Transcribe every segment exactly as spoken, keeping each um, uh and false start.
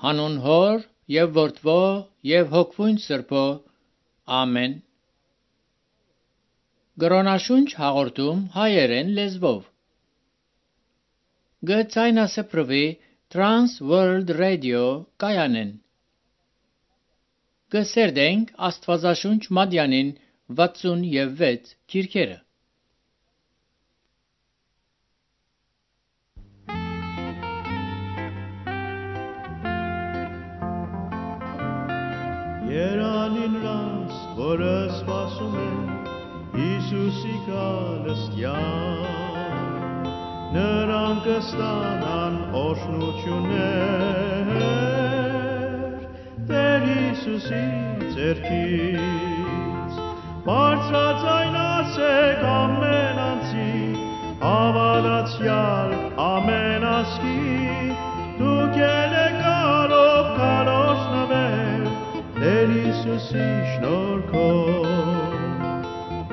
հանուն Հոր եւ Որդվո եւ Հոգվույն Սրբո, ամեն։ Գրոնաշունչ հաղորդում հայերեն լեզվով։ Գցայնասպրվի Trans World Radio կայանեն։ Գսերդենք Աստվածաշունչ Մադյանին վաթսունվեց քիրքերը։ Երանին ռանց, որը սպասում է Հիսուսի գալստյան, նրանք կստանան օրհնություններ Տեր Հիսուսի ձեռքից, բարձրաձայն ասեք ամեն անձի, հավատացյալ ամեն ազգի, դուք ելեք գալով քարոզնվել Տեր Հիսուսի շնորհքով,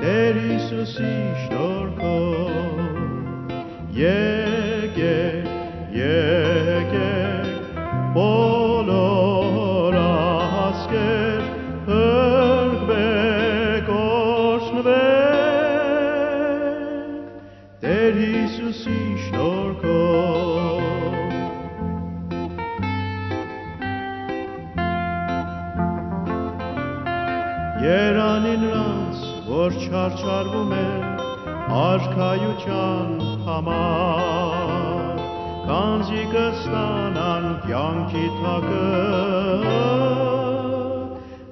Տեր Հիսուսի շնորհքով, եկեք, եկեք, բոլոր ազգեր, հրկվեք, օրհնվեք, Տեր Հիսուսի շնորհքով։ Երանին նրանց, որ չարչարվում են արքայության համար, քանզի կստանան կյանքի թագը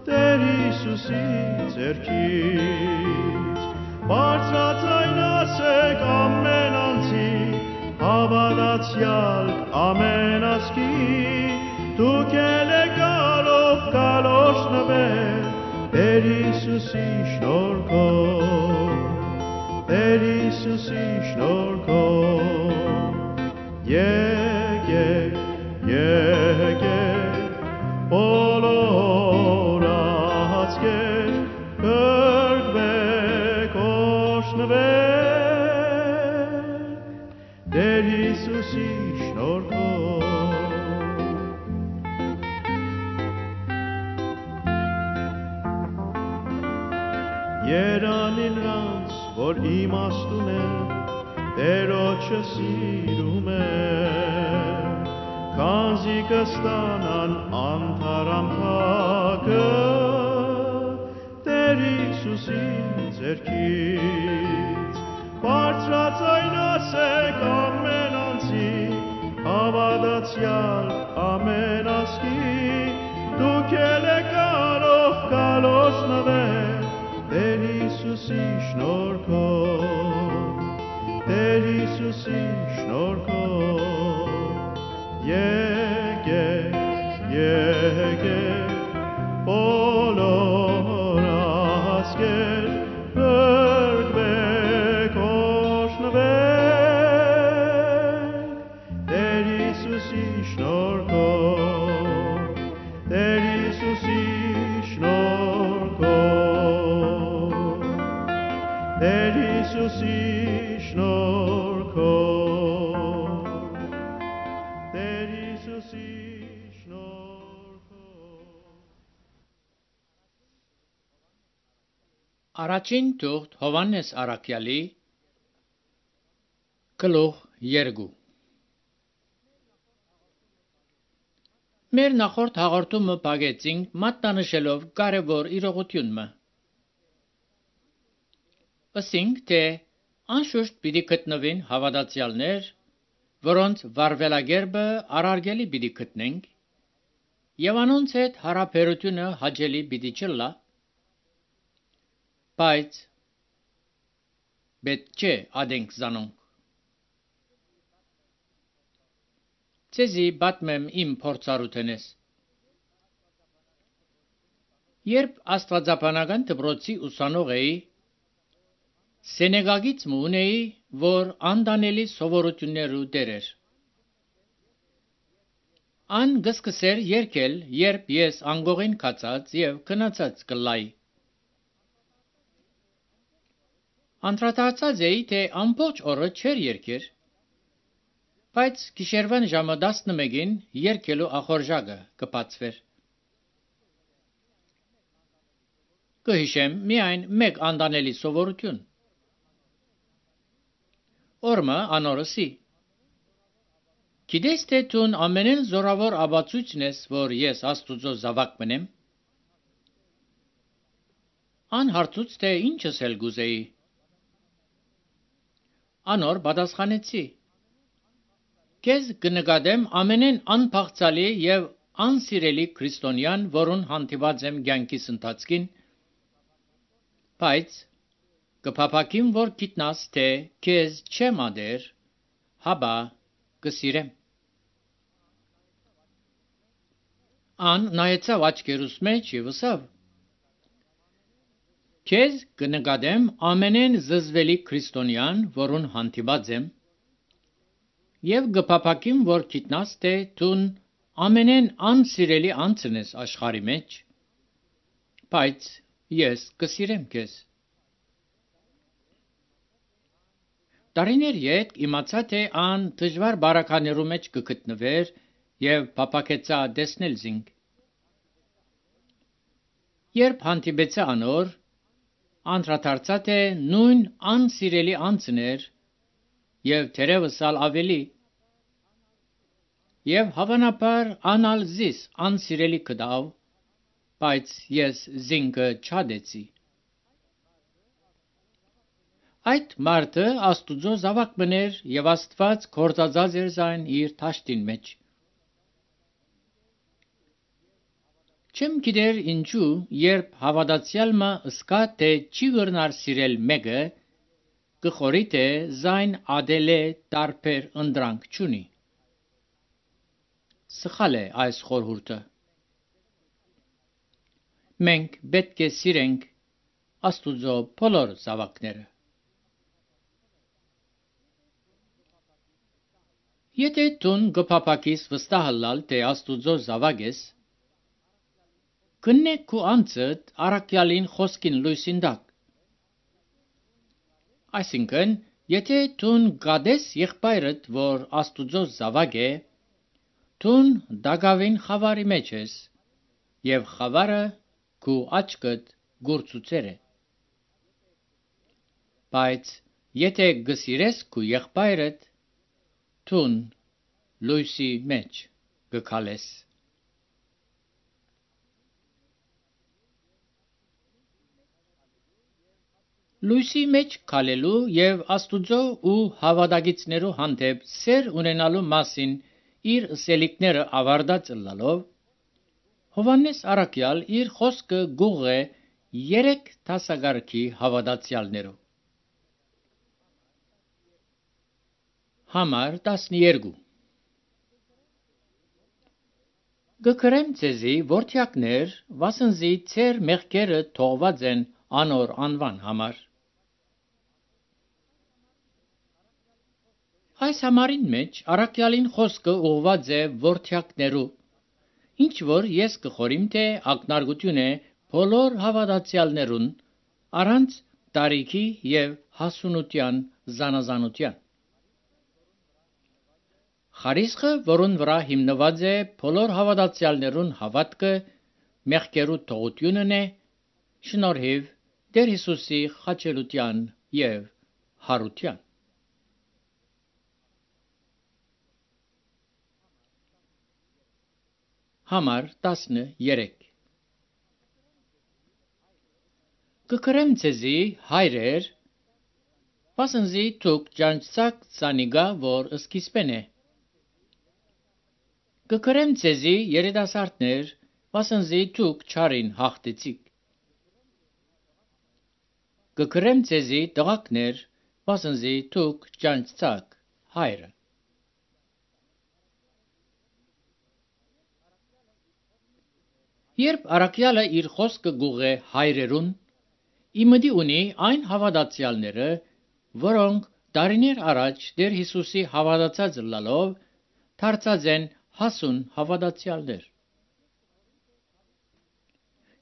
Տեր Հիսուսի ձեռքից, բարձրաձայն ասեք ամեն անձի, հավատացյալ ամեն ազգի, դուք ելեք գալով գալ օրհնվել Տեր Հիսուսի շնորհքով, Տեր Հիսուսի շնորհքով, եկեք, եկեք, բոլոր ազգեր, հրկվեք, օրհնվեք, Տեր Հիսուսի շնորհքով։ Երանին նրանց, որ իմաստուն են, Տերոջը սիրում են, քանզի կստանան անթարամ թագը Տեր Հիսուսի ձեռքից, բարձրաձայն ասեք ամեն անձի, հավատացյալ ամեն ազգի, դուք ելեք գալով գալ օրհնվել Տեր Հիսուսի շնորհքով, Տեր Հիսուսի շնորհքով, եկեք, եկեք, բոլոր ազգեր, հրկվեք, օրհնվեք, Տեր Հիսուսի շնորհքով, Տեր Հիսուսի շնորհքով, Տեր Հիսուսի շնորհքով, Տեր Հիսուսի շնորհքով։ Առաջին թուղթ Հովհաննես Առաքյալի գլուխ երկու։ Մեր նախորդ հաղորդումը բաղեցինք մատնանշելով կարևոր իրողությունը։ Ասինք, թե անշուշտ պիտի գտնվին հավատացյալներ, որոնց վարվելագերբը առարգելի պիտի գտնենք, եւ անոնց հետ հարաբերությունը հաճելի պիտի չլա, բայց պետք չէ ադենք զանոնք։ Ցեզի պատմեմ իմ փորձառութենես։ Երբ աստվածաբանական դպրոցի ուսանող էի, Սենեգալից ունեի, որ անդանելի սովորություններու դեր էր։ Ան գսկսեր երկել, երբ ես անգողին կացած եւ քնացած կլայի։ Անդրադարձած էի, թե ամբողջ օրը չեր երկեր, Բայց գիշերվան ժամը տասնմեկին երգելու ախորժակը կբացվեր։ Կհիշեմ միայն մեկ անդանելի սովորություն։ Օրմը անորսի։ Գիտես թե տուն ամենեն զորավոր աբացույցն ես, որ ես Աստուծո զավակ մնեմ։ Անհարցուց թե ինչս էլ գուզեի։ Անոր պատասխանեցի. Քեզ կնկատեմ ամենեն անփախցալի եւ անսիրելի քրիստոնյան, որուն հանդիպած եմ կյանքիս ընթացքին, բայց կփափակիմ, որ գիտնաս, թե քեզ չեմ ադեր, հաբա կսիրեմ։ Ան նայեցավ աչքերուս մեջ եւ ասավ. Քեզ կնկատեմ ամենեն զզվելի քրիստոնյան, որուն հանդիպած եմ, եւ կփափակիմ, որ գիտնաս, թե տուն ամենեն անսիրելի անձն ես աշխարհի մեջ, բայց ես կսիրեմ քեզ։ Տարիներ յետ իմացա, թե ան դժվար բարականերու մեջ կգտնվեր եւ փափակեցա տեսնել զինք։ Երբ հանդիպեցա անոր, անդրադարձա, թե նույն անսիրելի անձն էր եւ թերևս ալ ավելի, եւ հավանաբար անալ զիս անսիրելի կդավ, բայց ես զինքը չադեցի։ Այդ մարդը Աստուծո զավակ մներ եւ Աստված գործածած էր զայն իր թաշտին մեջ։ Չեմ գիտեր ինչու, երբ հավատացյալը ըսկա, թե չի գրնար սիրել մեկը, կխորի, թե զայն ադել է տարբեր ընդրանք չունի։ Սխալ է այս խորհուրդը։ Մենք պետք է սիրենք Աստուծո բոլոր զավակները։ Եթե տուն գփափակիս վստահալալ, թե Աստուծո զավակ ես, կնե քու անձդ առաքյալին խոսքին լույսին տակ։ Այսինքն, եթե տուն գադես եղբայրդ, որ Աստուծո զավակ է, տուն դագավին խավարի մեջ ես, եւ խավարը քու աչքդ գործուցեր է։ Բայց եթե գսիրես քու եղբայրդ, տուն լույսի մեջ գքալես։ Լույսի մեջ քալելու եւ Աստուծո ու հավատագիցներու հանդեպ սեր ունենալու մասին իր ըսելիքները ավարտած ըլլալով, Հովհաննես առաքյալ իր խոսքը գուղ է երեք դասակարգի հավատացյալներու։ Համար տասներկու Գկրեմ ձեզի որդյակներ, վասնզի ձեր մեղքերը թողված են անոր անվան համար։ Այս համարին մեջ առաքյալին խոսքը ուղված է որդյակներու, ինչ որ ես կխորիմ, թե ակնարկություն է բոլոր հավատացյալներուն առանց տարիքի եւ հասունության զանազանության։ Խարիսխը, որուն վրա հիմնված է բոլոր հավատացյալներուն հավատքը, մեղքերու թողությունն է, շնորհիվ Տեր Հիսուսի խաչելության եւ հարության։ Համար տասներեք Կկրեմ ձեզի հայրեր, վասնզի դուք ճանչցաք ցանիգա, որ սկիզբեն է։ Կկրեմ ձեզի երիտասարդներ, վասնզի դուք չարին հաղթեցիք։ Կկրեմ ձեզի տղակներ, վասնզի դուք ճանչցաք հայրը։ Երբ առաքյալը իր խոսքը գուղ է հայրերուն, իմդի ունի այն հավատացյալները, որոնք տարիներ առաջ Տեր Հիսուսի հավատացած լալով դարձած են հասուն հավատացյալներ։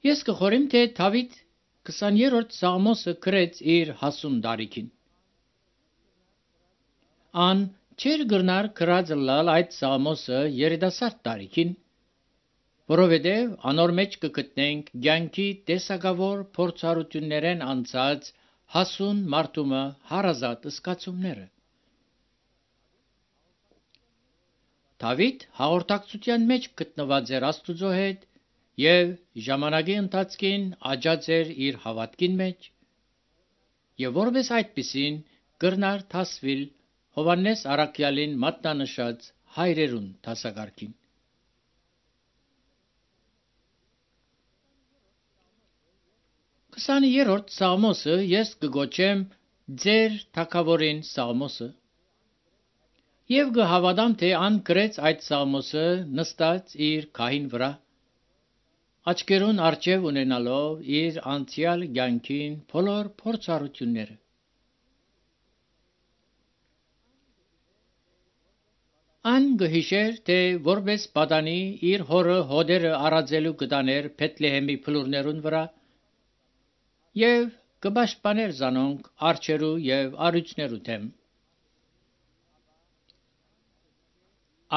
Ես կխորիմ, թե Դավիթ քսաներորդ Սաղմոսը գրեց իր հասուն տարիքին։ Ան Չեր գրնար գրած լալ այդ Սամոսը երիտասարդ տարիքին, որովհետև անոր մեջ կգտնենք ցանկի տեսակավոր փորձառություններեն անցած հասուն մարդումը հարազատ սկացումները։ Դավիթ հաղորդակցության մեջ գտնված էր Աստուծո հետ եւ ժամանակի ընթացքին աճած էր իր հավատքին մեջ եւ որպես այդպիսին կրնար դասվիլ Հովանես Արաքյալին մատնանշած հայրերուն դասակարգին։ քսաներորդ Սաղմոսը ես կգոչեմ ձեր թագավորին Սաղմոսը եւ կհավատամ թե ան գրեց այդ Սաղմոսը նստած իր քահին վրա աչքերուն արջև ունենալով իր անցյալ կյանքին բոլոր փորձառությունները։ Ան գհիշեր թե որպես պատանի իր հորը հոդերը առածելու կտաներ Փեթլեհեմի փլուրներուն վրա եւ կպաշտպաներ զանոնք արջերու եւ արույցներու դեմ։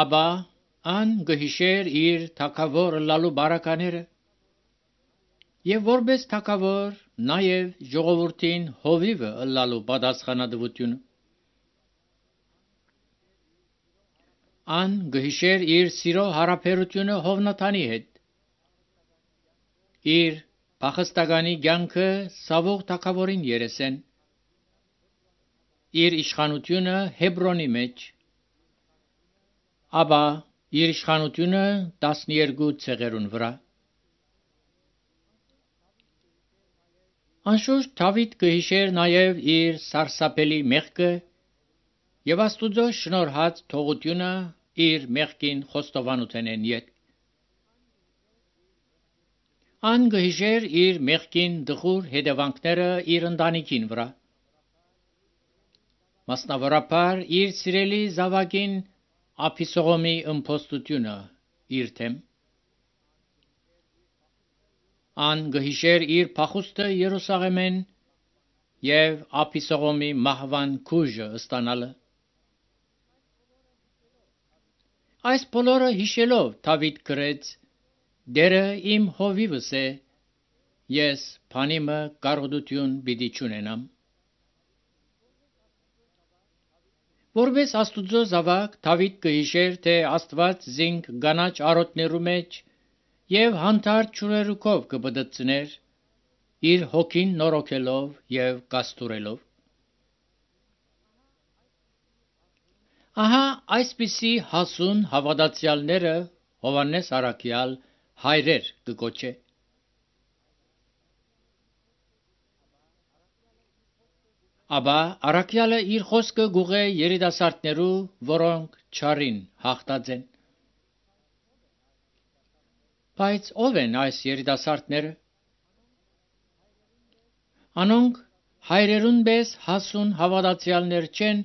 Աբա ան գհիշեր իր թագավոր լալու բարակաները եւ որպես թագավոր նաեւ ժողովրդին հովիվը լալու պատասխանատվությունը։ Ան գհիշեր իր սիրո հարաբերությունը Հովնաթանի հետ, իր փախստականի կյանքը Սավուղ թագավորին երեսեն, իր իշխանությունը Հեբրոնի մեջ, աբա իր իշխանությունը տասներկու ցեղերուն վրա։ Անշուշտ Դավիթ գհիշեր նաեւ իր սարսափելի մեղքը եւ Աստուծո շնորհած թողությունը իր մեղքին խոստովանութենեն յետ։ Ան գհիշեր իր մեղքին դխուր հետևանքները իր ընտանիքին վրա։ Մասնավորապես իր սիրելի զավակին Աբիսողոմի ըմբոստությունը իր թեմ։ Ան գհիշեր իր փախուստը Երուսաղեմեն եւ Աբիսողոմի մահվան քուժը ստանալը։ Այս բոլորը հիշելով Դավիթ գրեց. «Դերը իմ հովիվս է, ես բանիմը կարողություն պիտի չունենամ»։ Որպես Աստուծո զավակ Դավիթ գհիշեր թե Աստված զինք կանաչ արոտներու մեջ եւ հանդարտ ջուրերուկով կբդծներ իր հոգին նորոգելով եւ կաստուրելով։ Ահա այսպիսի հասուն հավատացյալները Հովանես Արաքյալ հայրեր կգոչե։ Աբա Արաքյալը իր խոսքը գուղե երիտասարդներու, որոնք չարին հաղթած են։ Բայց ով են այս երիտասարդները։ Անոնք հայրերուն պես հասուն հավատացյալներ չեն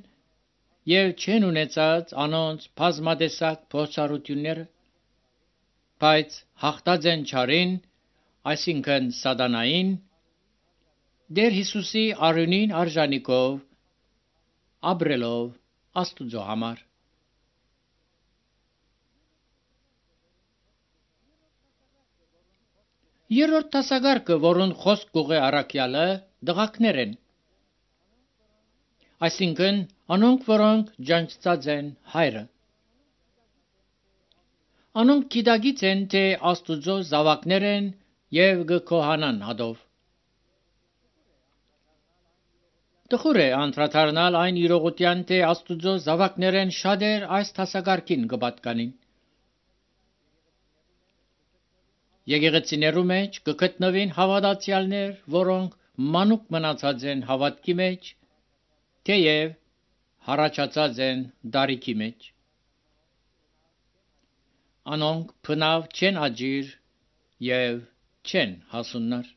եւ չեն ունեցած անոնց բազմատեսակ փորձառությունները, բայց հաղթած են չարին, այսինքն սատանային, Տեր Հիսուսի արյունին արժանիկով ապրելով Աստուծո համար։ Երրորդ դասակարգը, որոնց խոսք կուղե Արաքյալը, դղակներ են, այսինքն անոնք, որոնք ջանցած են հայրը։ Անոնք գիտակից են, թե Աստուծո զավակներ են եւ կքոհանան հադով։ Տխուր է անդրադառնալ այն իրողության, թե Աստուծո զավակներեն շատեր այս դասակարգին կպատկանին։ Եկեղեցիներու մեջ կգտնվին հավատացյալներ, որոնք մանուկ մնացած են հավատքի մեջ, թեև հառաջացած են դարիքի մեջ։ Անոնք բնավ չեն աջիր եւ չեն հասուննար։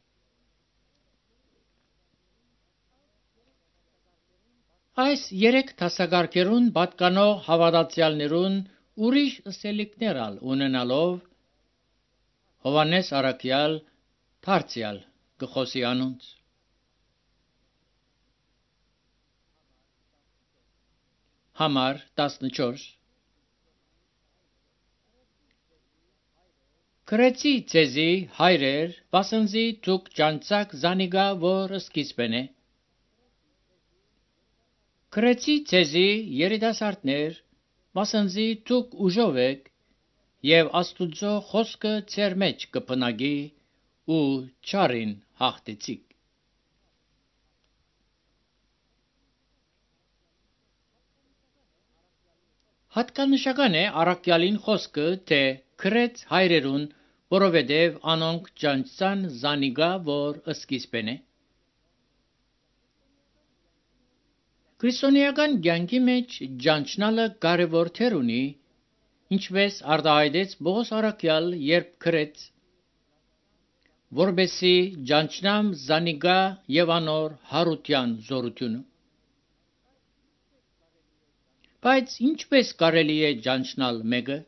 Այս երեք դասակարգերուն պատկանող հավատացյալներուն ուրիշ ըսելիքներ ալ ունենալով Հովանես Արաքյալ դարձյալ կխոսի անոնց։ Համար տասնչորս Քրեցի ցեզի հայրեր, վասնզի դուք ջանցակ զանիգա, որ սկիզբն է։ Քրեցի ցեզի երիտասարդներ, վասնզի դուք ուժով եք, եւ Աստուծո խոսքը ձեր մեջ կփնագի ու չարին հաղթեցիք։ Հատկանշական է առաքյալին խոսքը, թե քրեց հայրերուն, որովհետև անոնք ջանցան զանիգա, որ սկիզբն է։ Քրիստոնեական կյանքի մեջ ջանչնալը կարևոր դեր ունի, ինչպես արտահայտեց Պողոս առաքյալ, երբ քրեց, որբեսի ջանչնամ զանիգա եւ անոր հարության զորությունը։ Բայց ինչպես կարելի է ջանչնալ մեկը,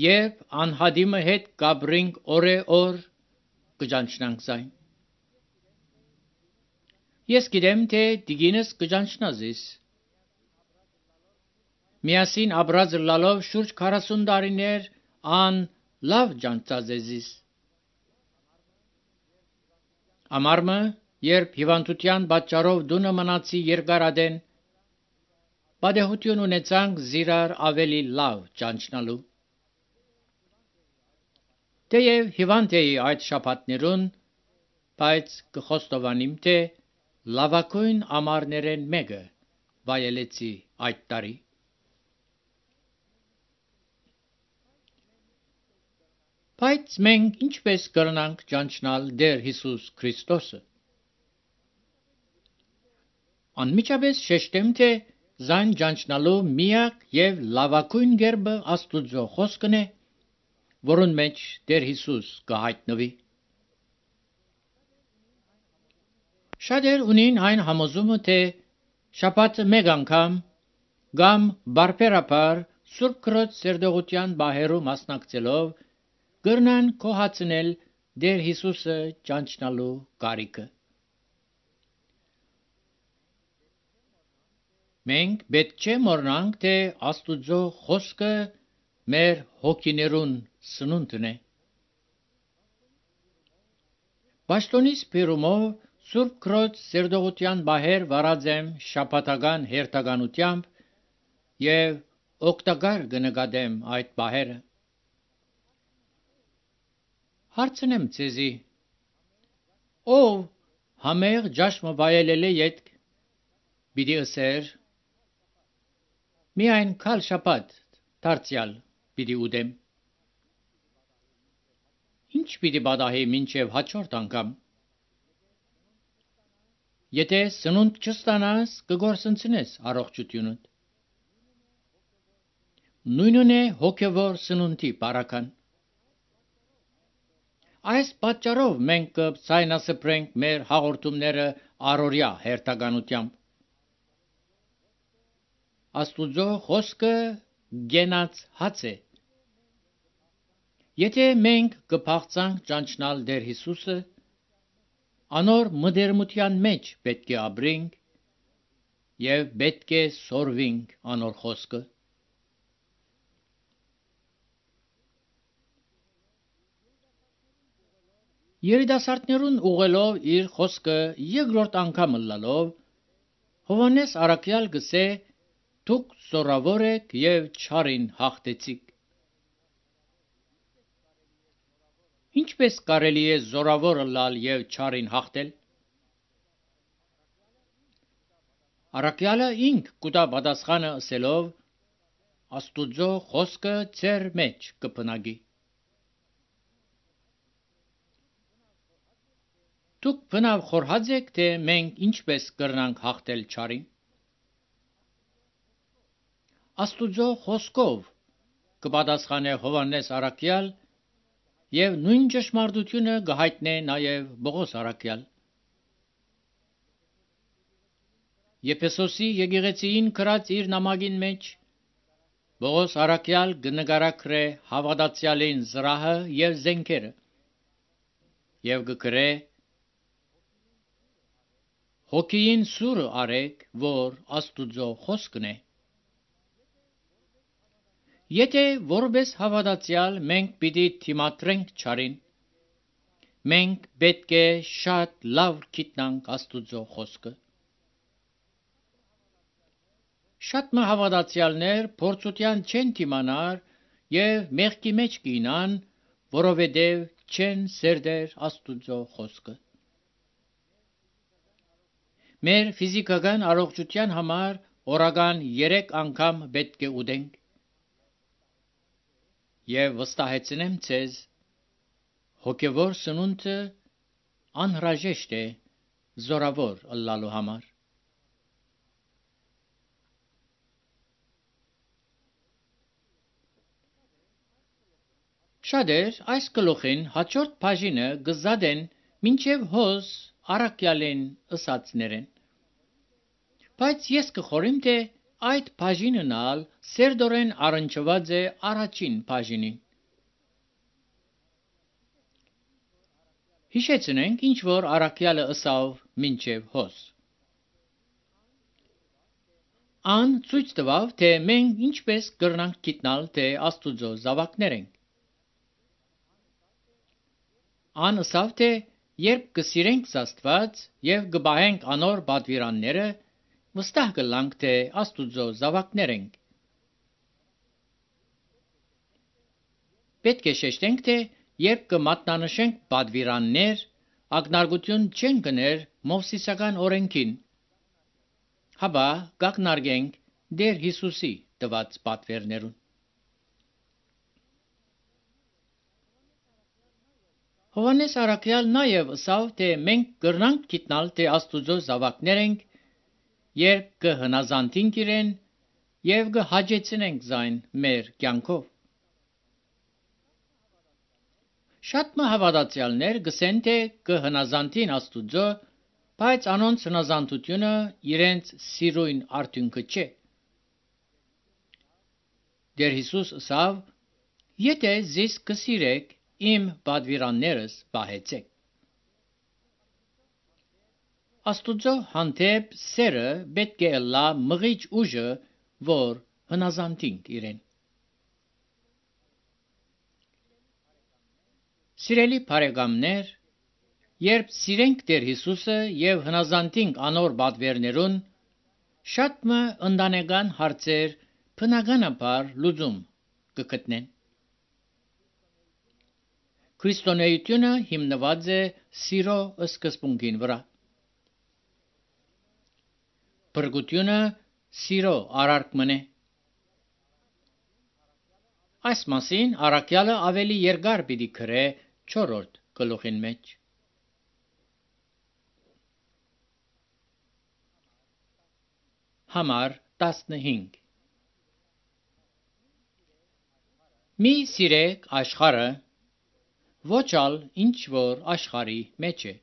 երբ անհադիմը հետ կաբրինք օրե-օր կջանչնանք զայն։ Ես գիտեմ, թե դիգինս կջանչնա զիս։ Միասին ապրած լալով շուրջ քառասուն տարիներ ան լավ ջանցած է զիս։ Ամարմը, երբ հիվանդության պատճառով դունը մնացի երկարադեն, պատահություն ունեցանք զիրար ավելի լավ ջանչնալու։ Թեև հիվանդ էի այդ շաբաթներուն, բայց կխոստովանիմ, թե լավագույն ամառներեն մեկը վայելեցի այդ տարի։ Բայց մենք ինչպես կրնանք ջանչնալ Տեր Հիսուս Քրիստոսը։ Անմիջապես շեշտեմ, թե զայն ջանչնալու միակ եւ լավագույն կերպը Աստուծո խոսքն է, որուն մեջ Տեր Հիսուս կհայտնվի։ Շատեր ունին այն համոզումը, թե շաբաթը մեկ անգամ կամ բարբերաբար Սուրբ Քրոջ սերտողության բահերու մասնակցելով կրնան կոհացնել Տեր Հիսուսը ջանչնալու կարիքը։ Մենք պետք չէ մոռանանք, թե Աստուծո խոսքը մեր հոգիներուն սնունդն է։ Պաշտոնիս բերումով Սուրբ Քրոջ սերտողության բահեր վարած եմ շաբաթական հերթականությամբ եւ օգտակար կնկատեմ այդ բահերը։ Հարցնեմ ցեզի. ով համեղ ճաշմը վայելել է յետք, պիտի ըսեր, միայն քալ շաբաթ դարձյալ պիտի ուտեմ։ Ինչ պիտի պատահի մինչև հաջորդ անգամ։ Եթե սնունդ չստանաս, կգործընծնես առողջությունդ։ Նույնն է հոգևոր սնունդի բարական։ Այս պատճառով մենք կձայնասփռենք մեր հաղորդումները առօրյա հերթականությամբ։ Աստուծո խոսքը գենաց հաց է։ Եթե մենք կփախցանք ճանչնալ Տեր Հիսուսը, անոր մտերմության մեջ պետք է ապրենք եւ պետք է սորվենք անոր խոսքը։ Երիտասարդներուն ուղղելով իր խոսքը երկրորդ անգամ լալով, Հովհաննես առաքյալ գսե. «Դուք զորավոր եք եւ չարին հաղթեցիք»։ Ինչպես կարելի է զորավոր լալ եւ չարին հաղթել։ Առաքյալը ինք կուտա պատասխանը ասելով. Աստուծո խոսքը ձեր մեջ կփնագի։ Դուք բնավ խորհած եք, թե մենք ինչպես կրնանք հաղթել չարին։ Աստուծո խոսքով կպատասխանե Հովհաննես առաքյալ եւ նույն ճշմարտությունը կհայտնե նաեւ Պողոս առաքյալ։ Եփեսոսի եկեղեցին գրած իր նամակին մեջ Պողոս առաքյալ կնկարագրե հավատացյալին զրահը եւ զենքերը եւ կգրե. հոգին սուրը արեք, որ Աստուծո խոսքն է։ Եթե որպես հավատացյալ մենք պիտի թիմադրենք չարին, մենք պետք է շատ լավ գիտնանք Աստուծո խոսքը։ Շատ մը հավատացյալներ փորձության չեն դիմանար եւ մեղքի մեջ կինան, որովհետեւ չեն սերդեր Աստուծո խոսքը։ Մեր ֆիզիկական առողջության համար օրական երեք անգամ պետք է ուտենք։ Եվ վստահեցնեմ ձեզ, հոգևոր սնունդը անհրաժեշտ է զորավոր ըլլալու համար։ Շատեր այս գլուխին հաջորդ բաժինը գզադեն մինչև հոս առակյալեն ըսածներեն։ Բայց ես կխորիմ, թե այդ բաժինն ալ սերդորեն առնչված է առաջին բաժինին։ Հիշեցնենք, ինչ որ առակյալը ըսավ մինչև հոս։ Ան ցույց տվավ, թե մենք ինչպես կրնանք գիտնալ, թե Աստուծո զավակներ ենք։ Ան ըսավ, թե երբ կսիրենք Աստված եւ կբահենք անոր պատվիրանները, վստահ կլանք, թե Աստուծո զավակներ ենք։ Պետք է շեշտենք, թե երբ կմատնանշենք պատվիրաններ, ակնարկություն չեն գներ Մովսիսական օրենքին, հապա կակնարկենք Տեր Հիսուսի տված պատվերներուն։ Հովհաննես առաքյալ նաև ըսավ, թե մենք կրնանք գիտնալ, թե Աստուծո զավակներ ենք, երբ կհնազանդենք իրեն եւ կհաջեցնենք զայն մեր կյանքով։ Շատ մը հավատացյալներ գսեն, թե կհնազանդին Աստուծո, բայց անոնց հնազանդությունը իրենց սիրույն արդյունքը չէ։ Տեր Հիսուս ըսավ. «Եթե զիս կսիրեք, իմ պատվիրաններս պահեցեք»։ Աստուծո հանդեպ սերը պետք է ըլլա մղիչ ուժը, որ հնազանդենք իրեն։ Սիրելի բարեկամներ, երբ սիրենք Տեր Հիսուսը եւ հնազանդենք անոր պատվերներուն, շատ մը ընտանեկան հարցեր բնականաբար լուծում կգտնեն։ Քրիստոնեությունը հիմնված է սիրո սկզբունքին վրա։ Փրկությունը սիրո արարքմն է։ Այս մասին առաքյալը ավելի երկար պիտի գրե չորրորդ գլուխին մեջ։ Համար տասնհինգ Մի սիրեք աշխարհը, ոչ ալ ինչ որ աշխարհի մեջ է։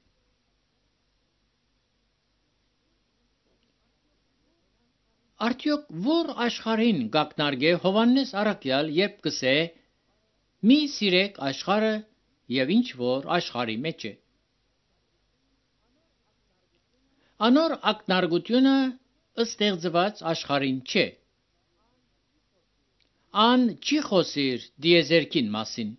Արդյոք որ աշխարհին գակնարկե Հովհաննես առաքյալ, երբ կսե մի սիրեք աշխարհը եւ ինչ որ աշխարհի մեջ է։ Անոր ակնարկությունը ստեղծված աշխարհին չէ։ Ան չի խոսիր դիեզերքին մասին։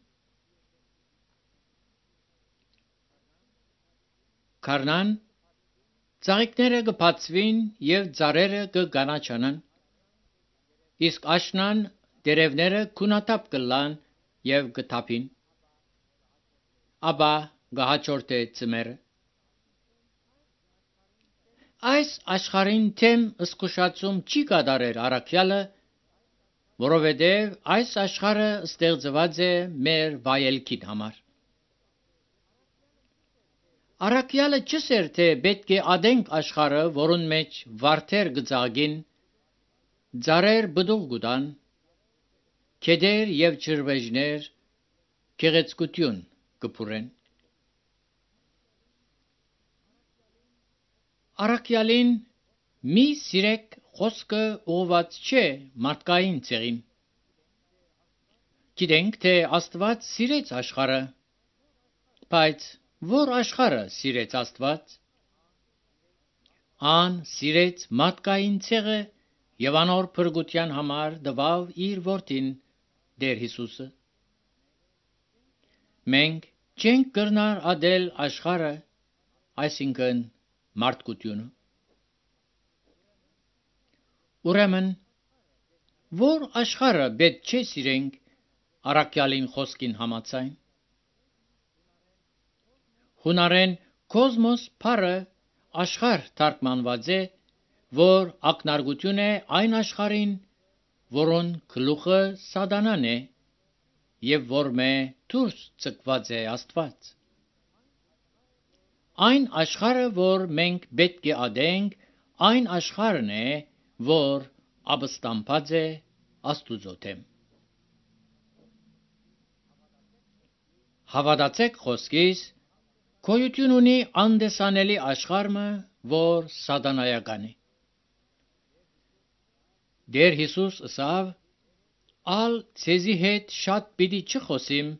Քարնան ծաղիկները կբացվին եւ ծառերը կգանաչանան, իսկ աշնան դերևները քունաթափ կլան եւ կթափին, ապա գահաճորտե ծմերը։ Այս աշխարհին թեմ զսկուշացում չի կատարեր առաքյալը, որովհետև այս աշխարհը ստեղծված է մեր վայելքին համար։ Առաքյալը չսեր, թե պետք է ադենք աշխարհը, որուն մեջ վարդեր գծագին, ծառեր բդուղ գուտան, քեդեր եւ ջրվեժներ գեղեցկություն կփուրեն։ Առաքյալին մի սիրեք խոսքը ուղված չէ մարդկային ցեղին։ Գիտենք, թե Աստված սիրեց աշխարհը, բայց որ աշխարհը սիրեց Աստված։ ան սիրեց մարդկային ցեղը եւ անոր փրկության համար դվավ իր որդին Տեր Հիսուսը։ Մենք չենք կրնար ադել աշխարհը, այսինքն մարդկությունը։ Ուրեմն, որ աշխարհը պետք չէ սիրենք առաքյալին խոսքին համաձայն։ Հունարեն կոսմոս բառը աշխարհ թարգմանված է, որ ակնարկություն է այն աշխարհին, որոն գլուխը սատանան է եւ որ մե դուրս ցկված է Աստված։ Այն աշխարհը, որ մենք պետք է ադենք, այն աշխարհն է, որ ապստամբած է Աստուծո դեմ։ Հավատացեք խոսքիս, գոյություն ունի անդեսանելի աշխարհը, որ սատանայական է։ Տեր Հիսուս ասավ. «Ալ ցեզի հետ շատ պիտի չխոսիմ,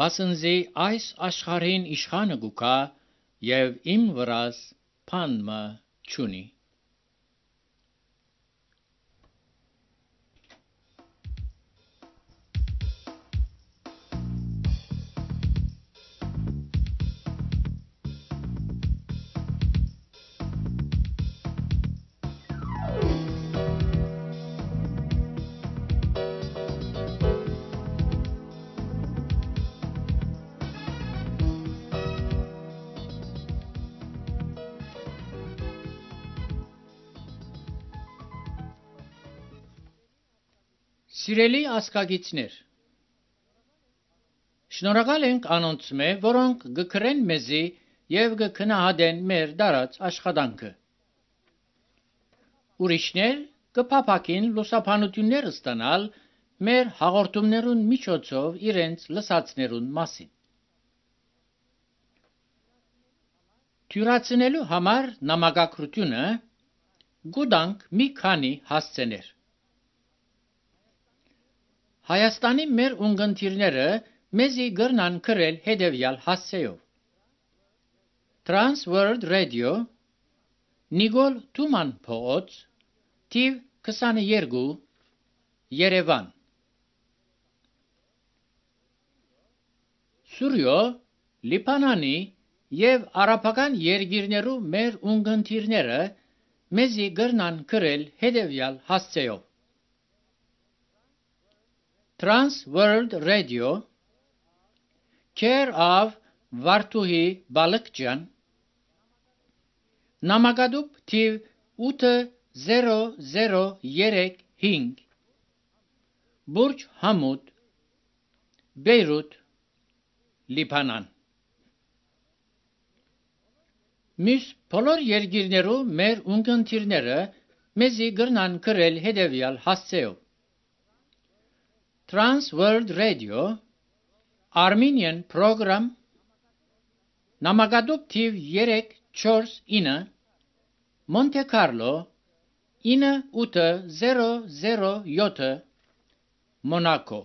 վասնզի այս աշխարհին իշխանը գուքա եւ իմ վրաս բան մը չունի»։ Սիրելի ազգագիցներ, շնորհակալ ենք անոնց մե, որոնք գկրեն մեզի եւ գքնահատեն մեր դարած աշխատանքը։ Ուրիշներ կփափակին լուսաբանություններ ստանալ մեր հաղորդումներուն միջոցով իրենց լսածներուն մասին։ Թյուրացնելու համար նամակագրությունը գուտանք մի քանի հասցեներ։ Հայաստանի մեր ունգընտիրները մեզի գրնան գրել հետևյալ հասցեով. Trans World Radio, Նիկոլ Թուման փողոց, թիվ քսաներկու, Երևան։ Սուրյո, Լիբանանի եւ արաբական երկիրներու մեր ունգընտիրները մեզի գրնան գրել հետևյալ հասցեով. Trans World Radio, Care of Վարդուհի Բալկջյան, Նամակադուբ թիվ ութ զերո զերո երեք հինգ, Բուրջ Համուդ, Բեյրութ, Լիբանան։ Մյուս բոլոր երկիրներու մեր ունգընտիրները մեզի գրնան գրել հետևյալ հասցեով. Trans World Radio, Armenian Program, Նամակադուբ թիվ երեք չորս ինը, Monte Carlo, ինը ութ զերո զերո յոթ, Monaco։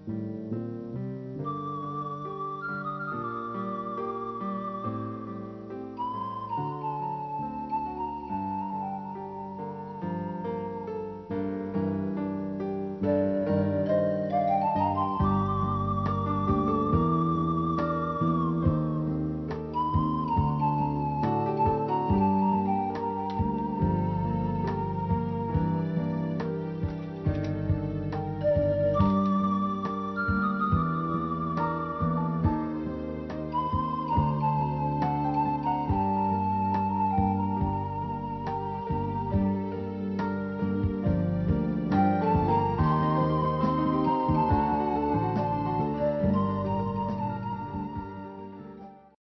Thank you.